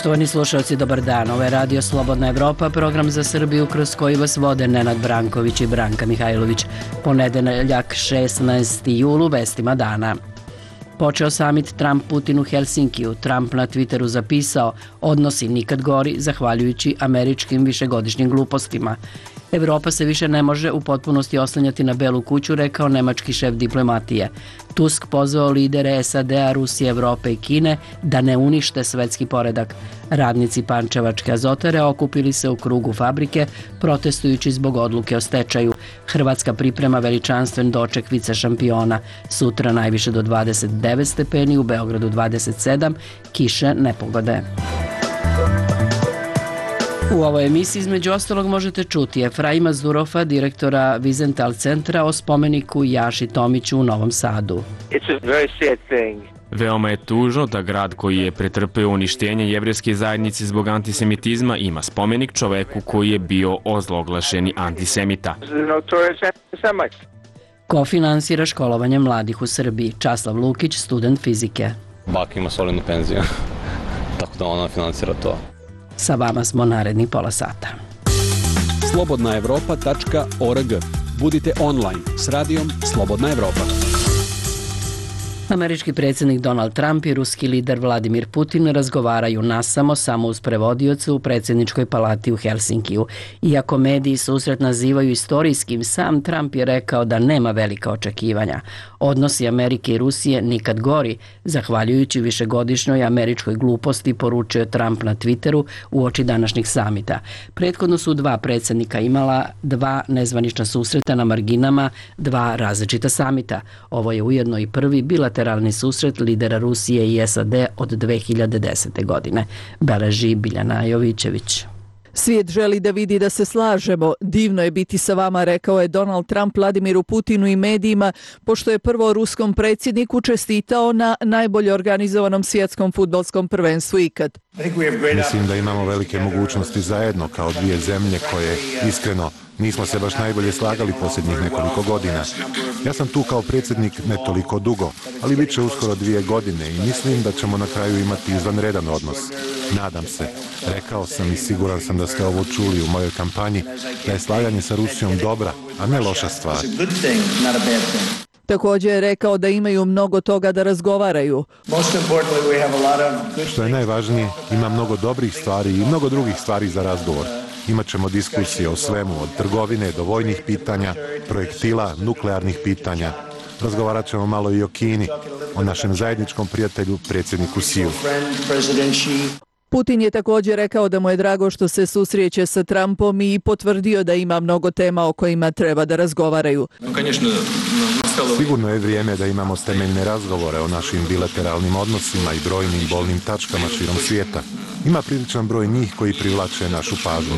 Poštovani slušalci, dobar dan. Ovo je Radio Slobodna Evropa, program za Srbiju kroz koji vas vode Nenad Branković i Branka Mihajlović. Ponedeljak 16. julu, vestima dana. Počeo samit Trump-Putin u Helsinkiju. Trump na Twitteru zapisao: odnosi nikad gori zahvaljujući američkim višegodišnjim glupostima. Evropa se više ne može u potpunosti oslanjati na Belu kuću, rekao nemački šef diplomatije. Tusk pozvao lidere SAD-a, Rusije, Evrope i Kine da ne unište svetski poredak. Radnici Pančevačke azotare okupili se u krugu fabrike protestujući zbog odluke o stečaju. Hrvatska priprema veličanstven doček vice šampiona. Sutra najviše do 29 stepeni, u Beogradu 27, kiše, nepogode. U ovoj emisiji između ostalog možete čuti Efraima Zurofa, direktora Vizental centra, o spomeniku Jaši Tomiću u Novom Sadu. Veoma je tužno da grad koji je pretrpeo uništenje jevrejske zajednice zbog antisemitizma ima spomenik čoveku koji je bio ozloglašeni antisemita. Ko finansira školovanje mladih u Srbiji? Časlav Lukić, student fizike. Baka ima solidnu penziju, tako da ona finansira to. Sa vama smo narednih pola sata. slobodnaevropa.org. Budite online s radijom Slobodna Evropa. Američki predsjednik Donald Trump i ruski lider Vladimir Putin razgovaraju nasamo, samo uz prevodioca u predsjedničkoj palati u Helsinkiju. Iako mediji susret nazivaju istorijskim, sam Trump je rekao da nema velika očekivanja. Odnosi Amerike i Rusije nikad gori, zahvaljujući višegodišnjoj američkoj gluposti, poručio Trump na Twitteru uoči današnjeg samita. Prethodno su dva predsjednika imala dva nezvanična susreta na marginama dva različita samita. Ovo je ujedno i prvi bilateralni susret lidera Rusije i SAD od 2010. godine, beleži Biljana Jovićević. Svijet želi da vidi da se slažemo. Divno je biti sa vama, rekao je Donald Trump Vladimiru Putinu i medijima, pošto je prvo ruskom predsjedniku čestitao na najbolje organizovanom svjetskom fudbalskom prvenstvu ikad. Mislim da imamo velike mogućnosti zajedno kao dvije zemlje koje, iskreno, nismo se baš najbolje slagali posljednjih nekoliko godina. Ja sam tu kao predsjednik ne toliko dugo, ali bit će uskoro 2 godine i mislim da ćemo na kraju imati izvanredan odnos. Nadam se. Rekao sam i siguran sam da ste ovo čuli u mojoj kampanji, da je slaganje sa Rusijom dobra, a ne loša stvar. Također je rekao da imaju mnogo toga da razgovaraju. Što je najvažnije, ima mnogo dobrih stvari i mnogo drugih stvari za razgovor. Imaćemo diskusije o svemu, od trgovine do vojnih pitanja, projektila, nuklearnih pitanja. Razgovarat ćemo malo i o Kini, o našem zajedničkom prijatelju, predsjedniku Siju. Putin je također rekao da mu je drago što se susreće sa Trumpom i potvrdio da ima mnogo tema o kojima treba da razgovaraju. Sigurno je vrijeme da imamo temeljne razgovore o našim bilateralnim odnosima i brojnim bolnim tačkama širom svijeta. Ima priličan broj njih koji privlače našu pažnju.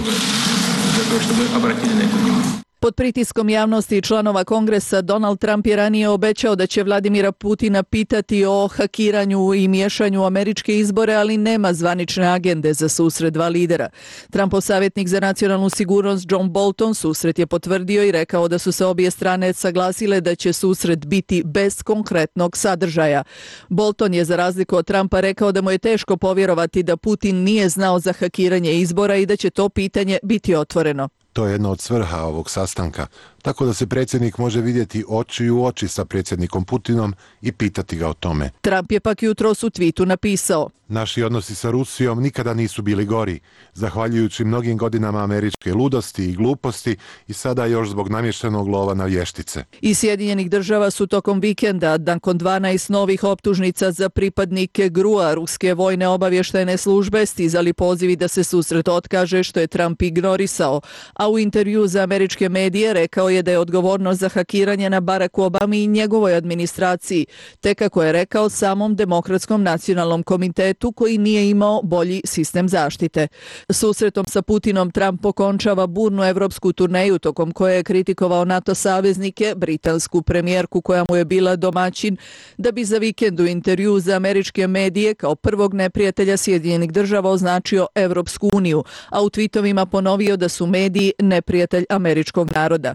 Pod pritiskom javnosti i članova Kongresa, Donald Trump je ranije obećao da će Vladimira Putina pitati o hakiranju i miješanju u američke izbore, ali nema zvanične agende za susret dva lidera. Trumpov savjetnik za nacionalnu sigurnost John Bolton susret je potvrdio i rekao da su se obje strane saglasile da će susret biti bez konkretnog sadržaja. Bolton je za razliku od Trumpa rekao da mu je teško povjerovati da Putin nije znao za hakiranje izbora i da će to pitanje biti otvoreno. To je jedna od svrha ovog sastanka, tako da se predsjednik može vidjeti oči u oči sa predsjednikom Putinom i pitati ga o tome. Trump je pak jutros u tweetu napisao: naši odnosi sa Rusijom nikada nisu bili gori, zahvaljujući mnogim godinama američke ludosti i gluposti i sada još zbog namještenog lova na vještice. Iz Sjedinjenih država su tokom vikenda, nakon 12 novih optužnica za pripadnike GRU-a, ruske vojne obavještajne službe, stizali pozivi da se susret otkaže, što je Trump ignorisao, a u intervju za američke medije rekao je da je odgovornost za hakiranje na Baracku Obami i njegovoj administraciji, te kako je rekao samom Demokratskom nacionalnom komitetu koji nije imao bolji sistem zaštite. Susretom sa Putinom Trump okončava burnu evropsku turneju tokom koje je kritikovao NATO saveznike, britansku premijerku koja mu je bila domaćin, da bi za vikend u intervju za američke medije kao prvog neprijatelja Sjedinjenih država označio Evropsku uniju, a u tweetovima ponovio da su mediji neprijatelj američkog naroda.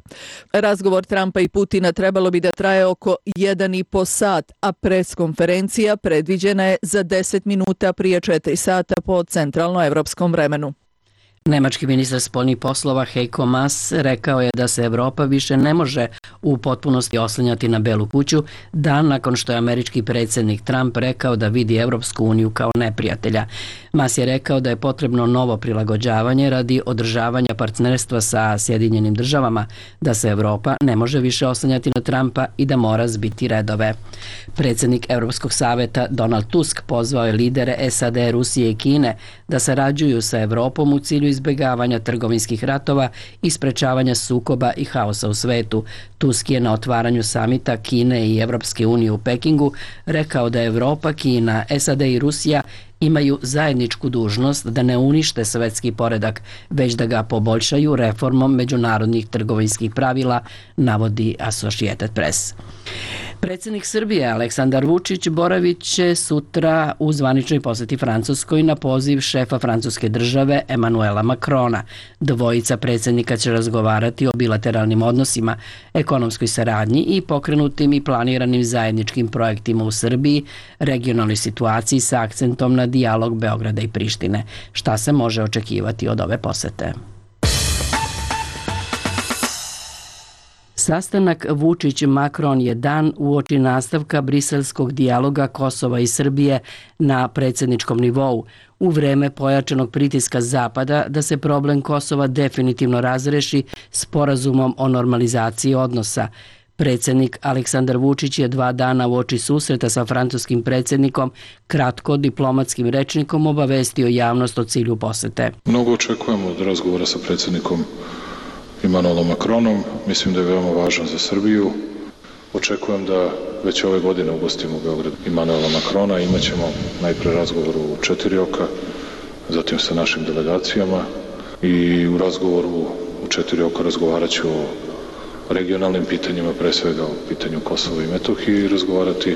Razgovor Trumpa i Putina trebalo bi da traje oko 1,5 sat, a preskonferencija predviđena je za 10 minuta prije 4 sata po centralnoevropskom vremenu. Nemački ministar spoljnih poslova Heiko Maas rekao je da se Evropa više ne može u potpunosti oslanjati na Belu kuću, dan nakon što je američki predsjednik Trump rekao da vidi Evropsku uniju kao neprijatelja. Maas je rekao da je potrebno novo prilagođavanje radi održavanja partnerstva sa Sjedinjenim državama, da se Evropa ne može više oslanjati na Trumpa i da mora zbiti redove. Predsjednik Europskog saveta Donald Tusk pozvao je lidere SAD, Rusije i Kine da sarađuju sa Evropom u cilju izbjegavanja trgovinskih ratova i sprečavanja sukoba i haosa u svetu. Tusk je na otvaranju samita Kine i Evropske unije u Pekingu rekao da Evropa, Kina, SAD i Rusija imaju zajedničku dužnost da ne unište svetski poredak, već da ga poboljšaju reformom međunarodnih trgovinskih pravila, navodi Associated Press. Predsjednik Srbije Aleksandar Vučić boravit će sutra u zvaničnoj posjeti Francuskoj na poziv šefa francuske države Emmanuela Macrona. Dvojica predsjednika će razgovarati o bilateralnim odnosima, ekonomskoj saradnji i pokrenutim i planiranim zajedničkim projektima u Srbiji, regionalnoj situaciji sa akcentom na dijalog Beograda i Prištine. Šta se može očekivati od ove posete? Sastanak Vučić-Macron je dan uoči nastavka briselskog dijaloga Kosova i Srbije na predsjedničkom nivou, u vreme pojačanog pritiska Zapada da se problem Kosova definitivno razreši sporazumom o normalizaciji odnosa. Predsjednik Aleksandar Vučić je 2 dana uoči susreta sa francuskim predsjednikom kratko diplomatskim rečnikom obavestio javnost o cilju posete. Mnogo očekujemo od razgovora sa predsjednikom Emmanuelom Macronom. Mislim da je veoma važan za Srbiju. Očekujem da već ove godine ugostimo u Beogradu Emmanuela Macrona. Imaćemo najpre razgovor u 4 oka, zatim sa našim delegacijama i u razgovoru u 4 oka razgovarat ću o regionalnim pitanjima, pre svega o pitanju Kosova i Metohije i razgovarati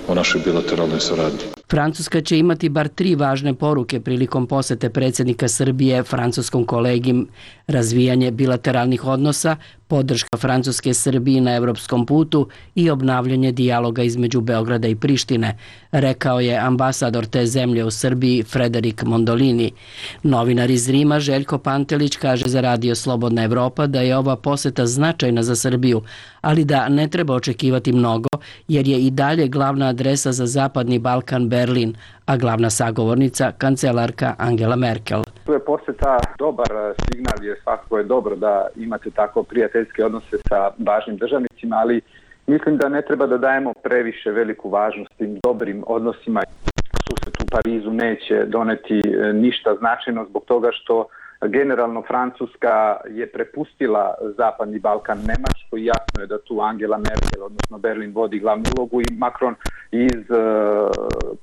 o našoj bilateralnoj saradnji. Francuska će imati bar 3 važne poruke prilikom posete predsjednika Srbije francuskom kolegi: razvijanje bilateralnih odnosa, podrška Francuske Srbiji na evropskom putu i obnavljanje dijaloga između Beograda i Prištine, rekao je ambasador te zemlje u Srbiji Frederik Mondolini. Novinar iz Rima Željko Pantelić kaže za Radio Slobodna Evropa da je ova poseta značajna za Srbiju, ali da ne treba očekivati mnogo jer je i dalje glavna adresa za Zapadni Balkan Berlin, a glavna sagovornica kancelarka Angela Merkel. Tu je posjeta dobar signal, jer svakako je dobro da imate tako prijateljske odnose sa važnim državnicima, ali mislim da ne treba da dajemo previše veliku važnost tim dobrim odnosima. Susret u Parizu neće doneti ništa značajno zbog toga što generalno Francuska je prepustila Zapadni Balkan Nemačkoj i jasno je da tu Angela Merkel, odnosno Berlin, vodi glavnu ulogu i Macron iz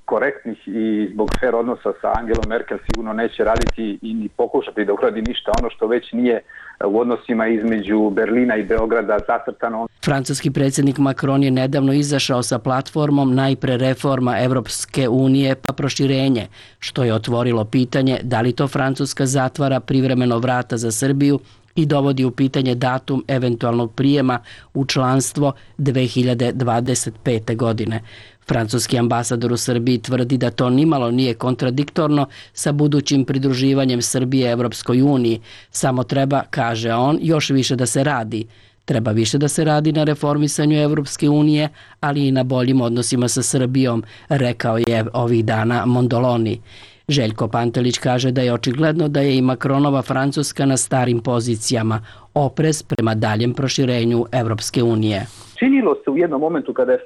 korektnih i zbog fer odnosa sa Angelom Merkel sigurno neće raditi i ni pokušati da uradi ništa ono što već nije u odnosima između Berlina i Beograda zacrtano. Francuski predsjednik Macron je nedavno izašao sa platformom najpre reforma Evropske unije pa proširenje, što je otvorilo pitanje da li to Francuska zatvara privremeno vrata za Srbiju i dovodi u pitanje datum eventualnog prijema u članstvo 2025. godine. Francuski ambasador u Srbiji tvrdi da to nimalo nije kontradiktorno sa budućim pridruživanjem Srbije Evropskoj uniji. Samo treba, kaže on, još više da se radi. Treba više da se radi na reformisanju Evropske unije, ali i na boljim odnosima sa Srbijom, rekao je ovih dana Mondoloni. Željko Pantelić kaže da je očigledno da je i Macronova Francuska na starim pozicijama, oprez prema daljem proširenju Evropske unije. Činilo se u jednom momentu kada je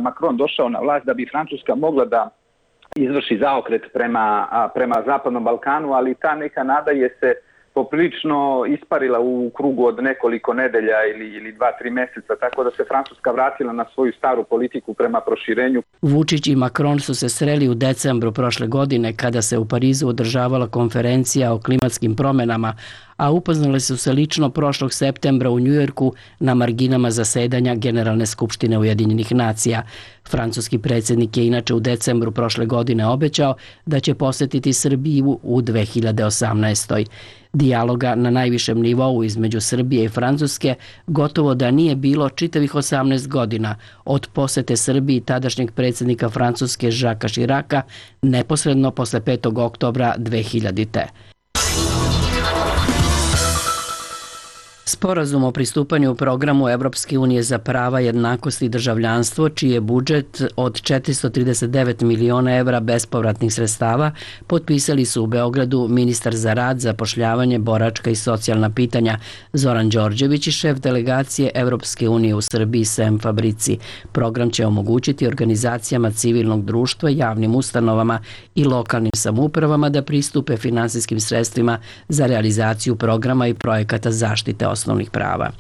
Macron došao na vlast da bi Francuska mogla da izvrši zaokret prema Zapadnom Balkanu, ali ta neka nada je se poprilično isparila u krugu od nekoliko nedelja ili 2-3 mjeseca, tako da se Francuska vratila na svoju staru politiku prema proširenju. Vučić i Macron su se sreli u decembru prošle godine kada se u Parizu održavala konferencija o klimatskim promjenama, a upoznali su se lično prošlog septembra u Njujorku na marginama zasedanja Generalne skupštine Ujedinjenih nacija. Francuski predsjednik je inače u decembru prošle godine obećao da će posjetiti Srbiju u 2018. Dijaloga na najvišem nivou između Srbije i Francuske gotovo da nije bilo čitavih 18 godina od posete Srbiji tadašnjeg predsjednika Francuske Jacquesa Chiraca neposredno posle 5. oktobra 2000. Sporazum o pristupanju programu Evropske unije za prava, jednakost i državljanstvo, čiji je budžet od 439 miliona evra bespovratnih sredstava, potpisali su u Beogradu ministar za rad, zapošljavanje, boračka i socijalna pitanja Zoran Đorđević i šef delegacije Evropske unije u Srbiji Sem Fabrici. Program će omogućiti organizacijama civilnog društva, javnim ustanovama i lokalnim samoupravama da pristupe finansijskim sredstvima za realizaciju programa i projekata zaštite osnovnih prava.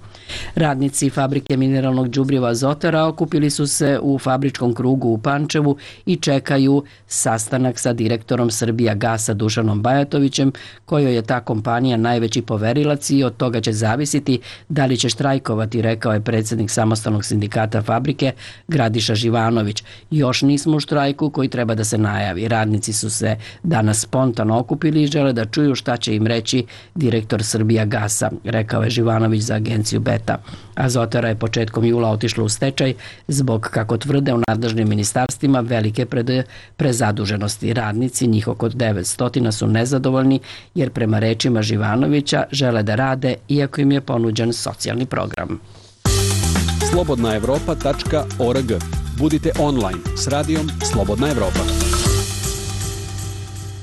Radnici fabrike mineralnog đubriva Azotara okupili su se u fabričkom krugu u Pančevu i čekaju sastanak sa direktorom Srbijagasa Dušanom Bajatovićem, kojoj je ta kompanija najveći poverilac i od toga će zavisiti da li će štrajkovati, rekao je predsjednik samostalnog sindikata fabrike Gradiša Živanović. Još nismo u štrajku koji treba da se najavi. Radnici su se danas spontano okupili i žele da čuju šta će im reći direktor Srbijagasa, rekao je Živanović za agenciju Beta. Azotara je početkom jula otišla u stečaj zbog, kako tvrde u nadležnim ministarstvima, velike prezaduženosti. Radnici, njih oko 900, su nezadovoljni jer prema rečima Živanovića žele da rade iako im je ponuđen socijalni program. Slobodnaevropa.org. Budite online s radijom Slobodna Evropa.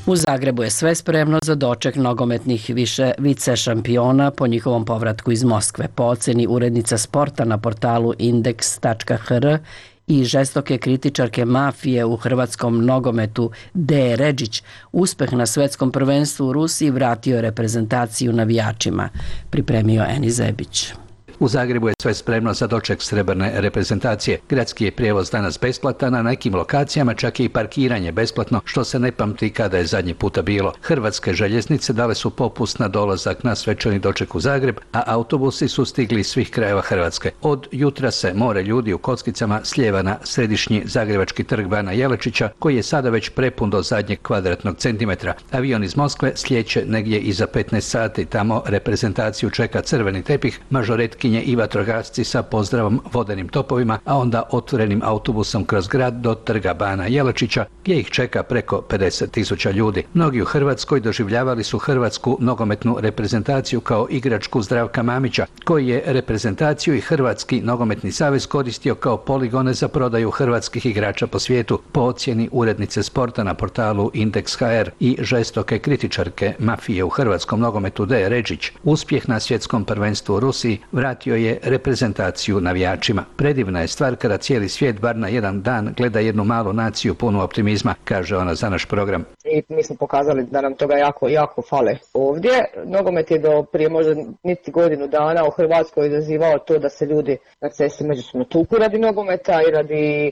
U Zagrebu je sve spremno za doček nogometnih vice šampiona po njihovom povratku iz Moskve. Po oceni urednica sporta na portalu Indeks.hr i žestoke kritičarke mafije u hrvatskom nogometu D. Redžić, uspeh na svetskom prvenstvu u Rusiji vratio reprezentaciju navijačima, pripremio Eni Zebić. U Zagrebu je sve spremno za doček srebrne reprezentacije. Gradski je prijevoz danas besplatan, na nekim lokacijama čak je i parkiranje besplatno, što se ne pamti kada je zadnji puta bilo. Hrvatske željeznice dale su popust na dolazak na svečani doček u Zagreb, a autobusi su stigli iz svih krajeva Hrvatske. Od jutra se more ljudi u kockicama slijeva na središnji zagrebački trg Bana Jelačića, koji je sada već prepun do zadnjeg kvadratnog centimetra. Avion iz Moskve slijeće negdje iza 15 sati. Tamo reprezentaciju čeka crveni tepih, mažoretki i vatrogasci sa pozdravom vodenim topovima, a onda otvorenim autobusom kroz grad do trga Bana Jelačića, gdje ih čeka preko 50.000 ljudi. Mnogi u Hrvatskoj doživljavali su hrvatsku nogometnu reprezentaciju kao igračku Zdravka Mamića, koji je reprezentaciju i Hrvatski nogometni savez koristio kao poligone za prodaju hrvatskih igrača po svijetu, po ocjeni urednice sporta na portalu Indeks.hr i žestoke kritičarke mafije u hrvatskom nogometu D. Redžić. Uspjeh na svjetskom prvenstvu u Rusiji vratio je reprezentaciju navijačima. Predivna je stvar kada cijeli svijet bar na jedan dan gleda jednu malu naciju punu optimizma, kaže ona za naš program. I mi smo pokazali da nam toga jako fale ovdje. Nogomet je do prije možda niti godinu dana u Hrvatskoj izazivao to da se ljudi na cesti međusobno tuku radi nogometa i radi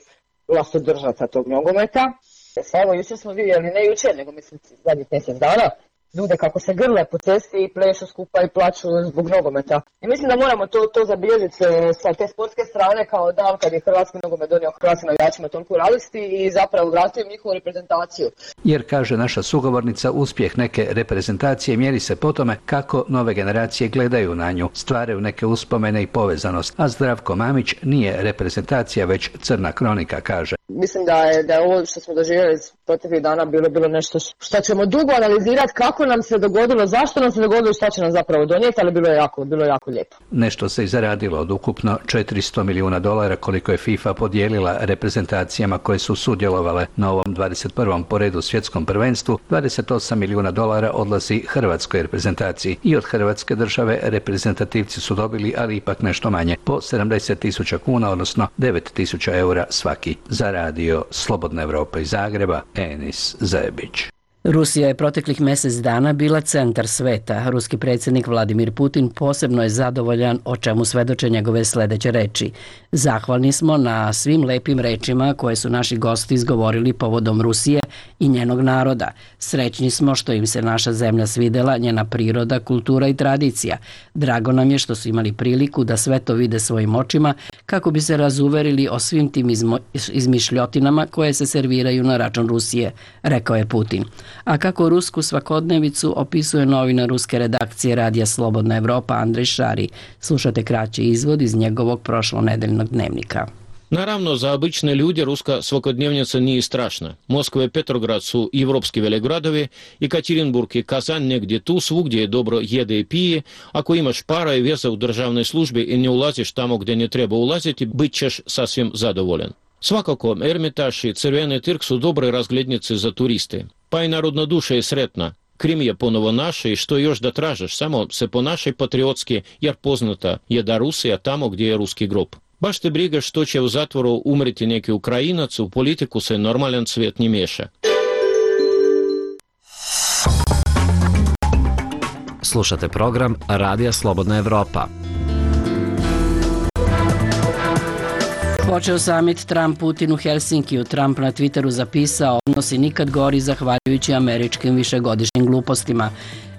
vlastodržaca tog nogometa. Evo, jučer smo vidjeli, ne jučer, nego mislim zadnjih mjesec dana, ljude kako se grle po cesti i plešu skupa i plaću zbog nogometa. I mislim da moramo to zabilježiti sa te sportske strane kao dan kad je hrvatski nogomet donio hrvatskim navijačima toliko radosti i zapravo vratio njihovu reprezentaciju. Jer, kaže naša sugovornica, uspjeh neke reprezentacije mjeri se po tome kako nove generacije gledaju na nju, stvaraju neke uspomene i povezanost. A Zdravko Mamić nije reprezentacija, već crna kronika, kaže. Mislim da je ovo što smo doživjeli proteklih dana bilo nešto što ćemo dugo analizirati kako nam se dogodilo, zašto nam se dogodilo i šta će nam zapravo donijeti, ali bilo je jako lijepo. Nešto se i zaradilo od ukupno $400 milijuna koliko je FIFA podijelila reprezentacijama koje su sudjelovale na ovom 21. po redu svjetskom prvenstvu. $28 milijuna odlazi hrvatskoj reprezentaciji i od Hrvatske države reprezentativci su dobili, ali ipak nešto manje, po 70.000 kuna, odnosno 9.000 eura svaki. Za radio Slobodna Evropa iz Zagreba, Enis Zebić. Rusija je proteklih mjesec dana bila centar sveta. Ruski predsjednik Vladimir Putin posebno je zadovoljan, o čemu svedoče njegove sljedeće reči. Zahvalni smo na svim lepim rečima koje su naši gosti izgovorili povodom Rusije i njenog naroda. Srećni smo što im se naša zemlja svidela, njena priroda, kultura i tradicija. Drago nam je što su imali priliku da sve to vide svojim očima kako bi se razuverili o svim tim izmišljotinama koje se serviraju na račun Rusije, rekao je Putin. A kako rusku svakodnevicu opisuje novinar ruske redakcije Radija Slobodna Evropa Andrej Šari. Slušate kraći izvod iz njegovog prošlonedeljnog dnevnika. Naravno, za obične ljude ruska svakodnevnica nije strašna. Moskva i Petrograd su evropski velegradovi, Ekaterinburg i Kazan negdje tu, svugdje je dobro jede i pije. Ako imaš para i veza u državnoj službi i ne ulaziš tamo gdje ne treba ulaziti, bit ćeš sasvim zadovoljan. Svakako, Ermitaž i Crveni trg su dobre razglednice za turiste. Pa i narodna duša je sretna. Krim je ponovo naše i što još da tražiš, samo se ponašaj patriotski, jer poznata je da Rusija tamo gdje je ruski grob. Baš te briga što će u zatvoru umreti neki Ukrajinac, u politiku se normalan svijet ne miješa. Slušate program Radija Slobodna Evropa. Počeo summit Trump-Putin u Helsinkiju. Trump na Twitteru zapisao: odnosi nikad gori zahvaljujući američkim višegodišnjim glupostima.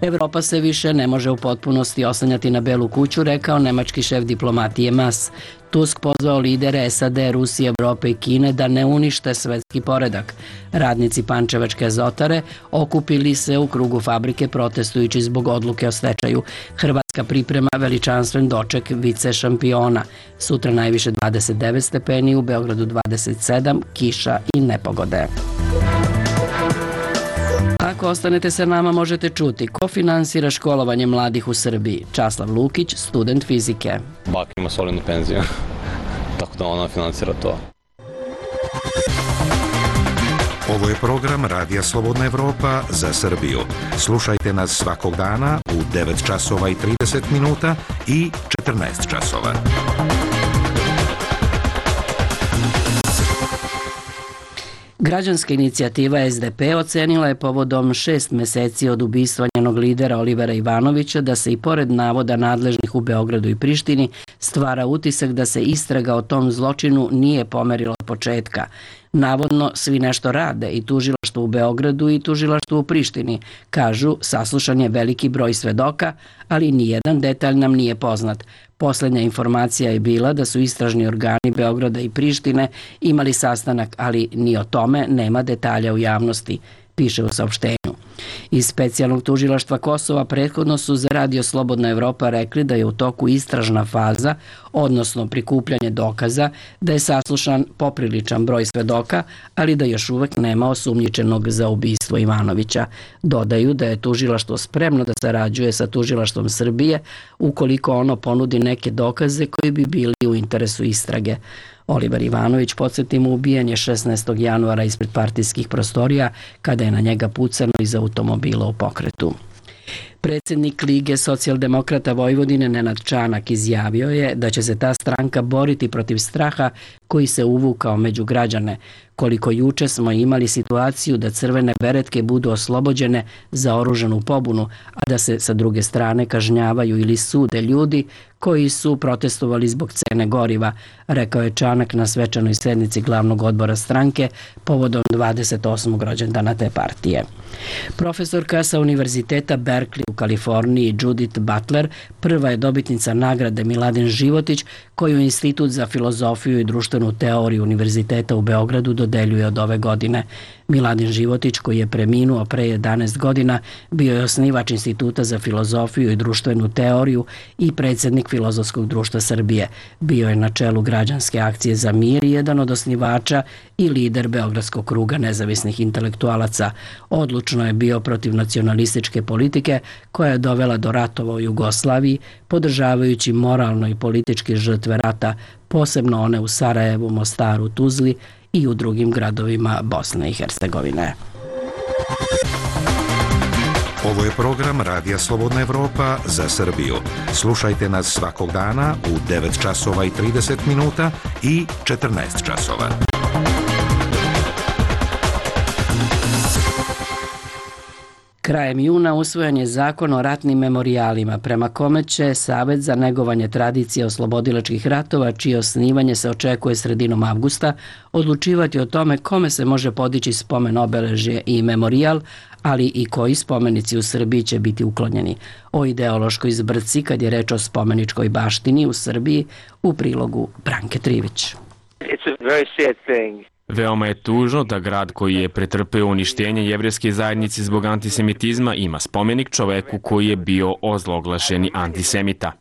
Evropa se više ne može u potpunosti oslanjati na Belu kuću, rekao nemački šef diplomatije Mas. Tusk pozvao lidere SAD, Rusije, Evrope i Kine da ne unište svetski poredak. Radnici Pančevačke azotare okupili se u krugu fabrike protestujući zbog odluke o stečaju. Hrvatska priprema veličanstven doček vice šampiona. Sutra najviše 29 stepeni, u Beogradu 27, kiša i nepogode. Ako ostanete sa nama, možete čuti ko finansira školovanje mladih u Srbiji. Časlav Lukić, student fizike. Baka ima solidnu penziju, tako da ona finansira to. Ovo je program Radija Slobodna Evropa za Srbiju. Slušajte nas svakog dana u 9 časova i 30 minuta i 14 časova. Građanska inicijativa SDP ocenila je povodom 6 meseci od ubistva njenog lidera Olivera Ivanovića da se i pored navoda nadležnih u Beogradu i Prištini stvara utisak da se istraga o tom zločinu nije pomerila od početka. Navodno svi nešto rade, i tužilaštvo u Beogradu i tužilaštvo u Prištini. Kažu, saslušan je veliki broj svedoka, ali nijedan detalj nam nije poznat. Posljednja informacija je bila da su istražni organi Beograda i Prištine imali sastanak, ali ni o tome nema detalja u javnosti, piše u saopštenju. Iz specijalnog tužilaštva Kosova prethodno su za Radio Slobodna Evropa rekli da je u toku istražna faza, odnosno prikupljanje dokaza, da je saslušan popriličan broj svedoka, ali da još uvek nema osumnjičenog za ubistvo Ivanovića. Dodaju da je tužilaštvo spremno da sarađuje sa tužilaštvom Srbije ukoliko ono ponudi neke dokaze koji bi bili u interesu istrage. Oliver Ivanović, podsjetimo, ubijen je 16. januara ispred partijskih prostorija kada je na njega pucano iz automobila u pokretu. Predsjednik Lige socijaldemokrata Vojvodine Nenad Čanak izjavio je da će se ta stranka boriti protiv straha koji se uvukao među građane. Koliko juče smo imali situaciju da crvene beretke budu oslobođene za oružanu pobunu, a da se sa druge strane kažnjavaju ili sude ljudi koji su protestovali zbog cene goriva, rekao je Čanak na svečanoj sednici glavnog odbora stranke povodom 28. rođendana te partije. Profesorka sa Univerziteta Berkeley u Kaliforniji Judith Butler prva je dobitnica nagrade Miladin Životić, koju Institut za filozofiju i društvenu teoriju Univerziteta u Beogradu dodeljuje od ove godine. Miladin Životić, koji je preminuo pre 11 godina, bio je osnivač Instituta za filozofiju i društvenu teoriju i predsjednik Filozofskog društva Srbije. Bio je na čelu građanske akcije za mir i jedan od osnivača i lider Beogradskog kruga nezavisnih intelektualaca. Odlučno je bio protiv nacionalističke politike koja je dovela do ratova u Jugoslaviji, podržavajući moralno i politički žrtve rata, posebno one u Sarajevu, Mostaru, Tuzli i u drugim gradovima Bosne i Hercegovine. Ovo je program Radija Slobodna Evropa za Srbiju. Slušajte nas svakog dana u 9 časova i 30 minuta i 14 časova. Krajem juna usvojen je zakon o ratnim memorijalima, prema kome će Savet za negovanje tradicije oslobodilačkih ratova, čije osnivanje se očekuje sredinom avgusta, odlučivati o tome kome se može podići spomen obeležje i memorijal, ali i koji spomenici u Srbiji će biti uklonjeni. O ideološkoj zbrci kad je reč o spomeničkoj baštini u Srbiji u prilogu Branke Trivić. Veoma je tužno da grad koji je pretrpeo uništenje jevrejske zajednice zbog antisemitizma ima spomenik čoveku koji je bio ozloglašeni antisemita.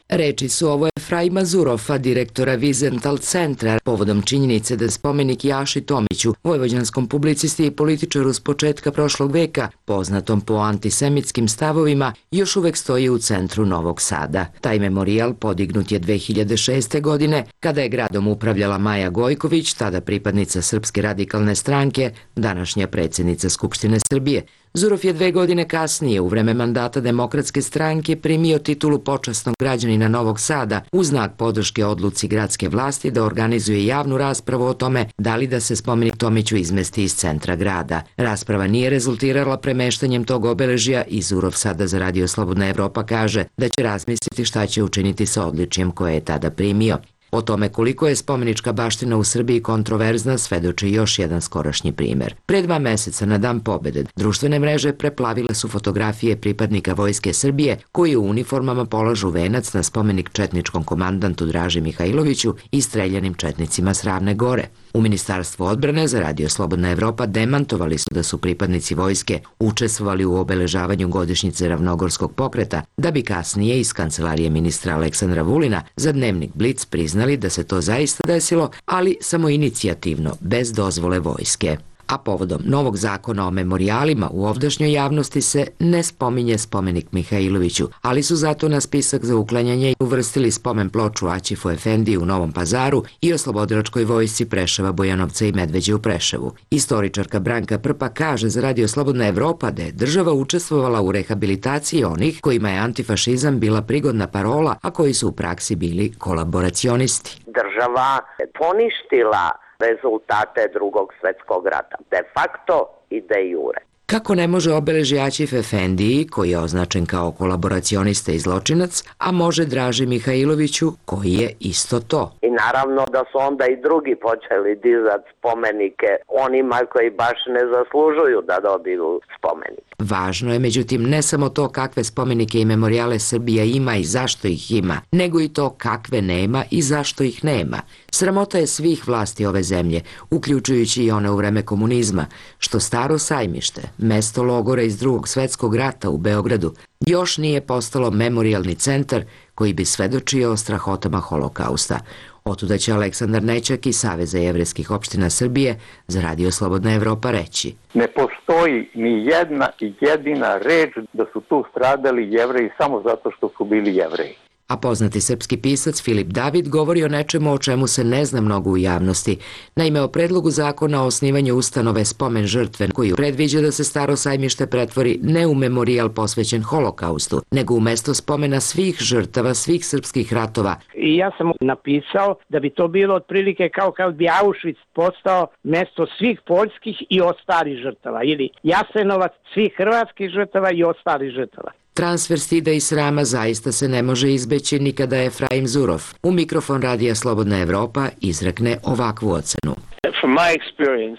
Reči su ovo Efraima Zurofa, direktora Wiesenthal centra, povodom činjenice da spomenik Jaši Tomiću, vojvođanskom publicisti i političaru s početka prošlog veka, poznatom po antisemitskim stavovima, još uvek stoji u centru Novog Sada. Taj memorijal podignut je 2006. godine, kada je gradom upravljala Maja Gojković, tada pripadnica Srpske radikalne stranke, današnja predsjednica Skupštine Srbije. Zurov je 2 godine kasnije, u vreme mandata Demokratske stranke, primio titulu počasnog građanina Novog Sada u znak podrške odluci gradske vlasti da organizuje javnu raspravu o tome da li da se spomenik Tomiću izmesti iz centra grada. Rasprava nije rezultirala premeštanjem tog obeležja i Zurov sada za Radio Slobodna Evropa kaže da će razmisliti šta će učiniti sa odličjem koje je tada primio. O tome koliko je spomenička baština u Srbiji kontroverzna svedoči još jedan skorašnji primer. Pre 2 meseca na Dan pobede društvene mreže preplavile su fotografije pripadnika Vojske Srbije koji u uniformama polažu venac na spomenik četničkom komandantu Draži Mihajloviću i streljanim četnicima s Ravne Gore. U Ministarstvu odbrane za Radio Slobodna Evropa demantovali su da su pripadnici vojske učestvovali u obeležavanju godišnjice Ravnogorskog pokreta, da bi kasnije iz kancelarije ministra Aleksandra Vulina za dnevnik Blic priznali da se to zaista desilo, ali samoinicijativno, bez dozvole vojske. A povodom novog zakona o memorijalima u ovdašnjoj javnosti se ne spominje spomenik Mihajloviću, ali su zato na spisak za uklanjanje uvrstili spomen ploču Aćifu Efendiji u Novom Pazaru i oslobodilačkoj vojsci Preševa, Bojanovca i Medveđe u Preševu. Istoričarka Branka Prpa kaže za Radio Slobodna Evropa da je država učestvovala u rehabilitaciji onih kojima je antifašizam bila prigodna parola, a koji su u praksi bili kolaboracionisti. Država je poništila rezultate Drugog svjetskog rata, de facto i de jure. Kako ne može obeležje Aćif Efendiji, koji je označen kao kolaboracionista i zločinac, a može Draži Mihajloviću, koji je isto to? I naravno da su onda i drugi počeli dizati spomenike onima koji baš ne zaslužuju da dobiju spomenik. Važno je, međutim, ne samo to kakve spomenike i memorijale Srbija ima i zašto ih ima, nego i to kakve nema i zašto ih nema. Sramota je svih vlasti ove zemlje, uključujući i one u vreme komunizma, što Staro Sajmište, mesto logora iz Drugog svjetskog rata u Beogradu, još nije postalo memorijalni centar koji bi svedočio o strahotama holokausta. Otuda će Aleksandar Nećak iz Saveza jevrejskih opština Srbije za Radio Slobodna Evropa reći. Ne postoji ni jedna i jedina reč da su tu stradali Jevreji samo zato što su bili Jevreji. A poznati srpski pisac Filip David govori o nečemu o čemu se ne zna mnogo u javnosti. Naime, o predlogu zakona o osnivanju ustanove Spomen žrtve, koji predviđa da se Staro Sajmište pretvori ne u memorijal posvećen holokaustu, nego u mesto spomena svih žrtava, svih srpskih ratova. I ja sam napisao da bi to bilo otprilike kao kad bi Auschwitz postao mesto svih poljskih i ostalih žrtava, ili Jasenovac svih hrvatskih žrtava i ostalih žrtava. Transfer stida i srama zaista se ne može izbeći ni kada Efraim Zurov u mikrofon Radija Slobodna Evropa izrekne ovakvu ocenu.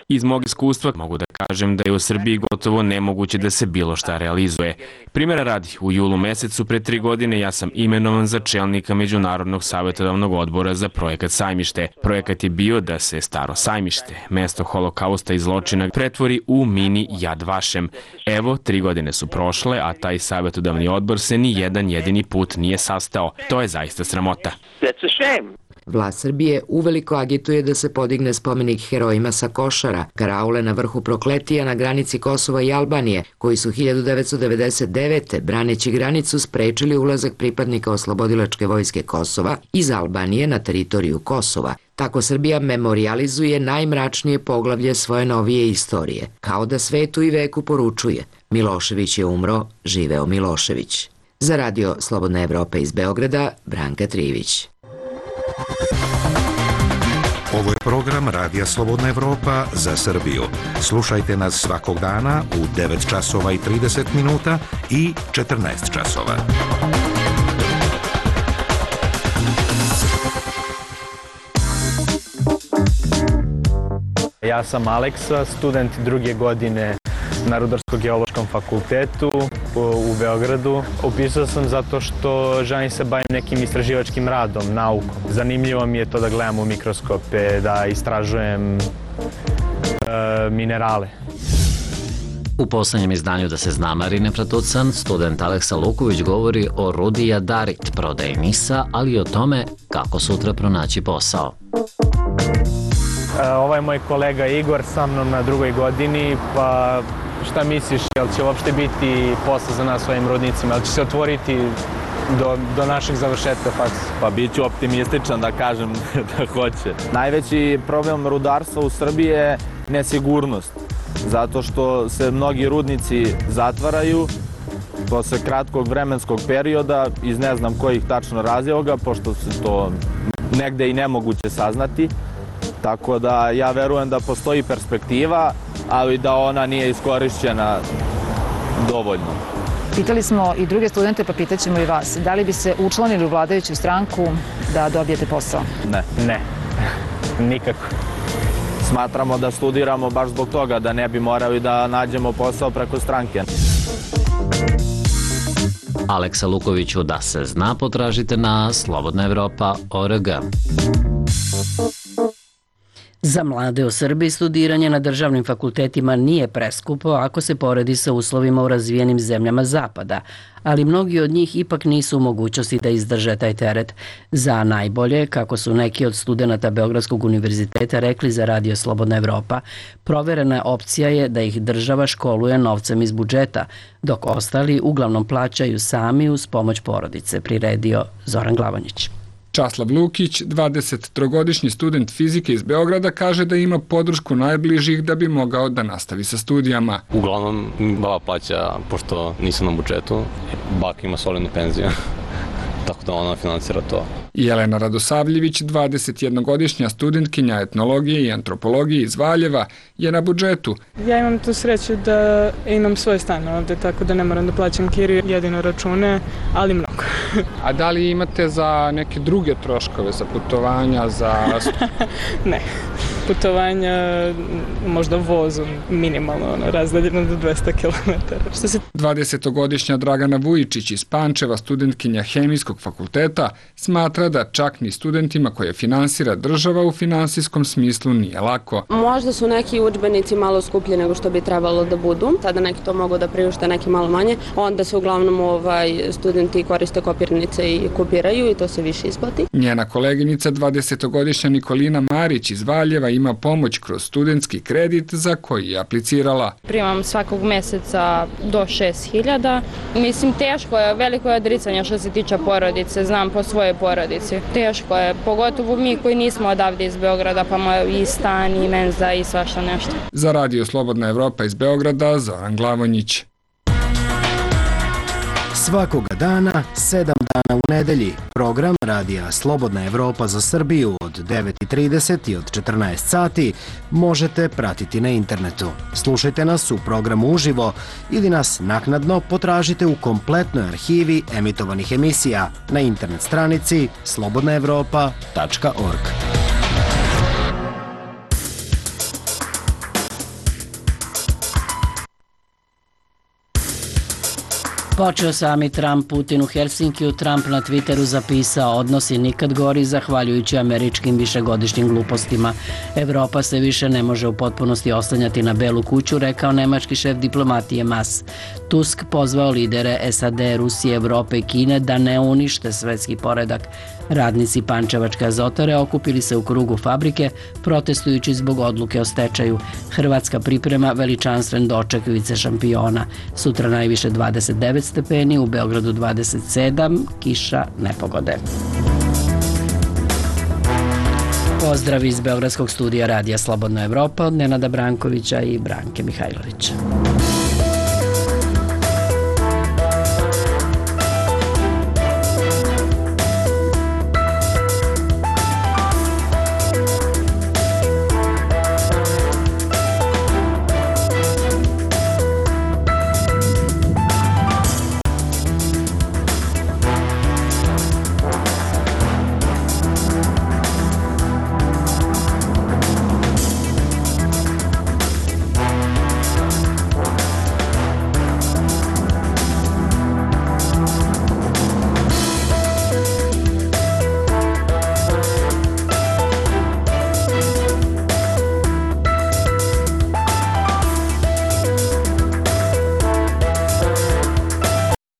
Iz mog iskustva mogu da kažem da je u Srbiji gotovo nemoguće da se bilo šta realizuje. Primjera radi, u julu mesecu pre 3 godine ja sam imenovan za čelnika Međunarodnog savjetodavnog odbora za projekat Sajmište. Projekat je bio da se Staro Sajmište, mesto holokausta i zločina, pretvori u mini Yad Vashem. Evo, 3 godine su prošle, a taj savjetodavni odbor se ni jedan jedini put nije sastao. To je zaista sramota. Vlast Srbije uveliko agituje da se podigne spomenik herojima sa Košara, karaule na vrhu Prokletija na granici Kosova i Albanije, koji su 1999. braneći granicu sprečili ulazak pripadnika oslobodilačke vojske Kosova iz Albanije na teritoriju Kosova. Tako Srbija memorijalizuje najmračnije poglavlje svoje novije istorije, kao da svetu i veku poručuje: Milošević je umro, živeo Milošević. Za Radio Slobodna Evropa iz Beograda, Branka Trivić. Ovo je program Radija Slobodna Evropa za Srbiju. Slušajte nas svakog dana u 9 časova i 30 minuta i 14 časova. Ja sam Aleksa, student druge godine na Rudarsko-geološkom fakultetu u Beogradu. Upisao sam zato što želim se bavim nekim istraživačkim radom, naukom. Zanimljivo mi je to da gledam u mikroskope, da istražujem minerale. U poslednjem izdanju Da se zna Marine Fratucan, student Aleksa Luković govori o rudi jadarit, prodaji NIS-a, ali i o tome kako sutra pronaći posao. Ovaj je moj kolega Igor sa mnom na drugoj godini, pa šta misliš, jel će uopšte biti posao za nas u ovim rudnicima, jel će se otvoriti do našeg završetka faksa? Pa bit ću optimističan da kažem da hoće. Najveći problem rudarstva u Srbiji je nesigurnost, zato što se mnogi rudnici zatvaraju posle kratkog vremenskog perioda iz ne znam kojih tačno razloga, pošto se to negde i nemoguće saznati. Tako da ja verujem da postoji perspektiva, ali da ona nije iskorišćena dovoljno. Pitali smo i druge studente, pa pitaćemo i vas. Da li bi se učlanili u vladajuću stranku da dobijete posao? Ne, nikako. Smatramo da studiramo baš zbog toga, da ne bi morali da nađemo posao preko stranke. Aleksa Lukoviću Da se zna potražite na slobodnaevropa.org. Za mlade u Srbiji studiranje na državnim fakultetima nije preskupo ako se poredi sa uslovima u razvijenim zemljama Zapada, ali mnogi od njih ipak nisu u mogućnosti da izdrže taj teret. Za najbolje, kako su neki od studenata Beogradskog univerziteta rekli za Radio Slobodna Evropa, proverena opcija je da ih država školuje novcem iz budžeta, dok ostali uglavnom plaćaju sami uz pomoć porodice, priredio Zoran Glavonjić. Časlav Lukić, 23-godišnji student fizike iz Beograda, kaže da ima podršku najbližih da bi mogao da nastavi sa studijama. Uglavnom, baba plaća, pošto nisam na budžetu, baka ima solidnu penziju, tako da ona financira to. Jelena Radosavljević, 21-godišnja studentkinja etnologije i antropologije iz Valjeva, je na budžetu. Ja imam tu sreću da imam svoj stan ovde, tako da ne moram da plaćam kiriju, jedino račune, ali mnogo. A da li imate za neke druge troškove, za putovanja, za... Ne, putovanja možda vozom minimalno, razdaljeno do 200 km. 20-godišnja Dragana Vujičić iz Pančeva, studentkinja Hemijskog fakulteta, smatra da čak ni studentima koje finansira država u finansijskom smislu nije lako. Možda su neki udžbenici malo skuplji nego što bi trebalo da budu, sada neki to mogu da priušte, neki malo manje, onda se uglavnom studenti koriste kopirnice i kopiraju i to se više isplati. Njena koleginica, 20-godišnja Nikolina Marić iz Valjeva, ima pomoć kroz studentski kredit za koji je aplicirala. Primam svakog meseca do 6.000. Mislim, teško je, veliko je odricanje što se tiče porodice, znam po svojoj porodici. Teško je, pogotovo mi koji nismo odavde iz Beograda, pa imamo i stan, i menza, i svašta nešto. Za Radio Slobodna Evropa iz Beograda, Zoran Glavonjić. Svakoga dana, 7 dana u nedelji, program Radija Slobodna Evropa za Srbiju od 9:30 i od 14 sati možete pratiti na internetu. Slušajte nas u programu uživo ili nas naknadno potražite u kompletnoj arhivi emitovanih emisija na internet stranici slobodnaevropa.org. Počeo sami Trump, Putin u Helsinkiju. Trump na Twitteru zapisao: odnosi nikad gori zahvaljujući američkim višegodišnjim glupostima. Evropa se više ne može u potpunosti oslanjati na Belu kuću, rekao nemački šef diplomatije Mas. Tusk pozvao lidere SAD, Rusije, Evrope i Kine da ne unište svetski poredak. Radnici Pančevačke azotare okupili se u krugu fabrike protestujući zbog odluke o stečaju. Hrvatska priprema veličanstven doček vice šampiona. Sutra najviše 29 stepeni, u Beogradu 27, kiša, nepogode. Pozdrav iz Beogradskog studija Radija Slobodna Evropa od Nenada Brankovića i Branke Mihajlovića.